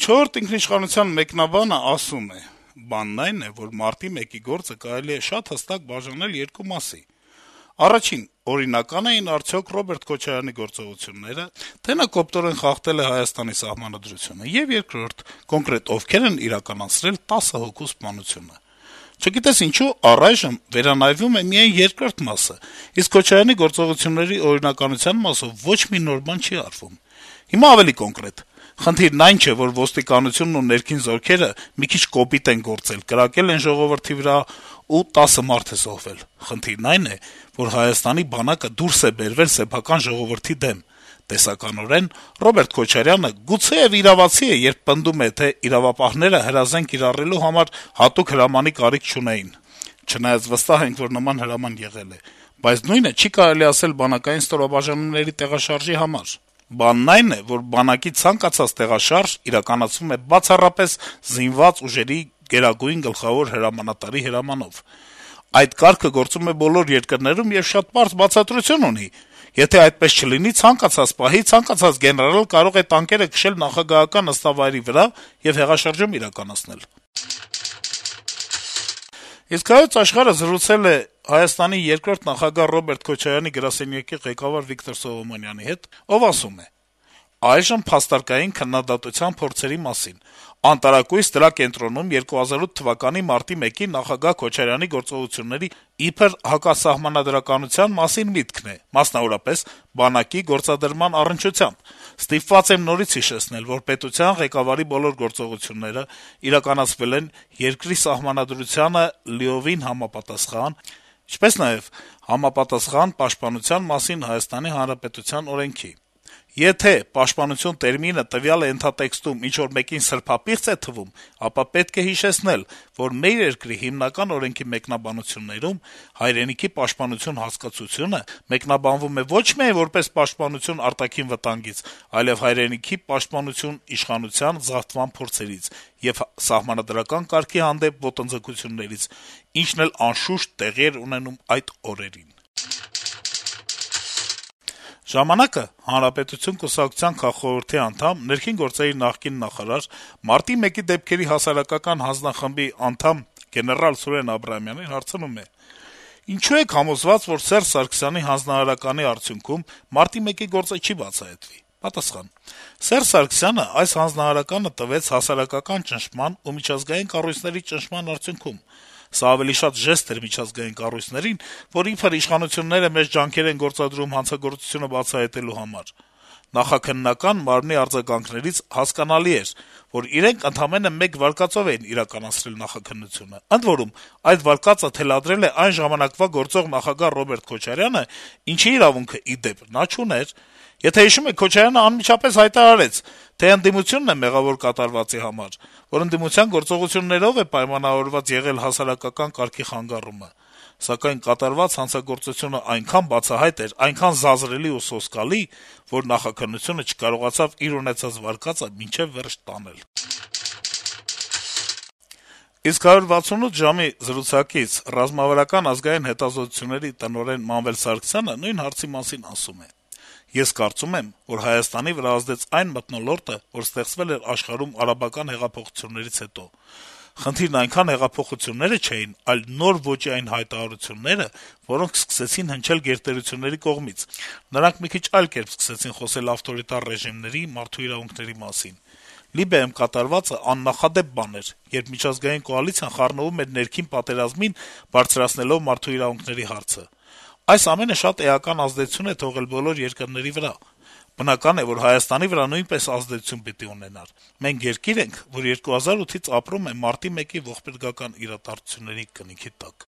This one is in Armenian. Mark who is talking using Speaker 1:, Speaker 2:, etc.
Speaker 1: 4-րդ ինքնիշխանության մեկնաբանը ասում է. - «Բանն այն է, որ մարտի 1-ի գործը կարելի է շատ հստակ բաժանել երկու մասի. առաջին, օրինական էին արդյոք Ռոբերտ Քոչարյանի գործողությունները, թե նա կոպտորեն խախտել է Հայաստանի սահմանադրությունը, եւ երկրորդ, կոնկրետ ովքեր են իրականացրել 10 հոգու սպանությունը: Չգիտես ինչու առայժմ վերանայվում է միայն երկրորդ մասը, իսկ Քոչարյանի գործողությունների օրինականության մասով ոչ մի նոր բան չի արվում: Հիմա ավելի կոնկրետ: Խնդիրն այն չէ, որ ոստիկանությունն ու ներքին զորքերը մի քիչ կոպիտ են գործել, կրակել են ժողովրդի վրա ու 10 մարդ է զոհվել: Խնդիրն այն է, որ Հայաստանի բանակը դուրս է բերվել սեփական ժողովրդի դեմ: Տեսականորեն Ռոբերտ Քոչարյանը գուցեեւ իրավացի է, երբ պնդում է, թե իրավապահները հրազեն կիրառելու համար հատուկ հրամանի կարիք չունեին: Չնայած վստահ ենք, որ նման հրաման եղել է: Բայց նույնը չի կարելի ասել բանակային ստորաբաժանումների տեղաշարժի համար: Բանն այն է, որ բանակի ցանկացած տեղաշարժ իրականացվում է բացառապես զինված ուժերի գերագույն գլխավոր հրամանատարի հրամանով: Այդ կարգը գործում է բոլոր երկրներում եւ շատ պարզ բացատրություն ունի. եթե այդպես չլինի, ցանկացած պահի ցանկացած գեներալ կարող է տանկերը քշել նախագահական նստավայրի վրա եւ հեղաշրջում իրականացնել»: Իսկ «Հայոց Աշխարհ»-ը զրուցել է Հայաստանի երկրորդ նախագահ Ռոբերտ Քոչարյանի գրասենյակի ղեկավար Վիկտոր Սողոմոնյանի հետ, ով ասում է. - «Այժմ փաստարկային քննադատության փորձերի մասին: Անտարակույս դրա կենտրոնում 2008 թվականի մարտի 1-ի նախագահ Քոչարյանի գործողությունների իբր հակասահմանադրականության մասին միտքն է, մասնավորապես բանակի գործադրման առնչությամբ: Ստիպված եմ նորից հիշեցնել, որ պետության ղեկավարի բոլոր գործողությունները իրականացվել են երկրի սահմանադրությանը լիովին համապատասխան, ինչպես նաեւ համապատասխան պաշտպանության մասին Հայաստանի Հանրապետության օրենքի: Եթե պաշտպանություն տերմինը տվյալ ենթատեքստում ինչ-որ մեկին սրբապիղծ է թվում, ապա պետք է հիշեցնել, որ մեր երկրի հիմնական օրենքի մեկնաբանություններում հայրենիքի պաշտպանություն հասկացությունը մեկնաբանվում է ոչ միայն որպես պաշտպանություն արտաքին վտանգից, այլեւ հայրենիքի պաշտպանություն իշխանության զավթման փորձերից եւ սահմանադրական կարգի հանդեպ ոտնձգություններից, ինչն էլ անշուշտ տեղի էր ունենում այդ օրերին»: «Ժամանակ»-ը Հանրապետություն կուսակցության քաղխորհրդի անդամ, ներքին գործերի նախկին նախարար, մարտի 1-ի դեպքերի հասարակական հանձնախմբի անդամ գեներալ Սուրեն Աբրահամյանին հարցնում է. - «Ինչո՞ւ եք համոզված, որ Սերժ Սարգսյանի հանձնարարականի արդյունքում մարտի 1-ի գործը չի բացահայտվի»: Պատասխան. - «Սերժ Սարգսյանը այս հանձնարարականը տվեց հասարակական ճնշման ու միջազգային կառույցների ճնշման արդյունքում: Սա ավելի շատ ժեստ էր միջազգային կառույցներին, որ իբր իշխանությունները մեծ ջանքեր են գործադրում հանցագործությունը բացահայտելու համար: Նախաքննական մարմնի արձագանքներից հասկանալի էր, որ իրենք ընդամենը մեկ վարկածով էին իրականացրել նախաքննությունը: Ընդ որում, այդ վարկածը թելադրել է այն ժամանակվա գործող նախագահ Ռոբերտ Քոչարյանը, ինչի իրավունքը, ի դեպ, նա չուներ: Եթե հիշում եք, Քոչարյանը անմիջապես հայտարարեց, թե ընդդիմությունն է մեղավոր կատարվածի համար, որ ընդդիմության գործողություններով է պայմանավորված եղել հասարակական կարգի խանգարումը: Սակայն կատարված հանցագործությունը այնքան բացահայտ էր, այնքան զազրելի ու սոսկալի, որ նախաքննությունը չկարողացավ իր ունեցած վարկածը մինչեւ վերջ տանել»: Իսկ «168 ժամ»-ի զրուցակից Ռազմավարական ազգային հետազոտությունների տնօրեն Մանվել Սարգսյանը նույն հարցի մասին ասում է. - «Ես կարծում եմ, որ Հայաստանի վրա ազդեց այն մթնոլորտը, որ ստեղծվել էր աշխարհում արաբական հեղափոխություններից հետո: Խնդիրն այնքան հեղափոխությունները չէին, այլ նոր ոճի այն հայտարարությունները, որոնք սկսեցին հնչել գերտերությունների կողմից: Նրանք մի քիչ այլ կերպ սկսեցին խոսել ավտորիտար ռեժիմների, մարդու իրավունքների մասին: Լիբիայում կատարվածը աննախադեպ բան էր, երբ միջազգային կոալիցիան խառնվում էր ներքին պատերազմին, բարձրացնելով մարդու իրավունքների հարցը: Այս ամենը շատ էական ազդեցություն է թողել բոլոր երկրների վրա: Բնական է, որ Հայաստանի վրա նույնպես ազդեցություն պիտի ունենար: Մենք երկիր ենք, որ 2008-ից ապրում է մարտի 1-ի ողբերգական իրադարձությունների կնիքի տակ»: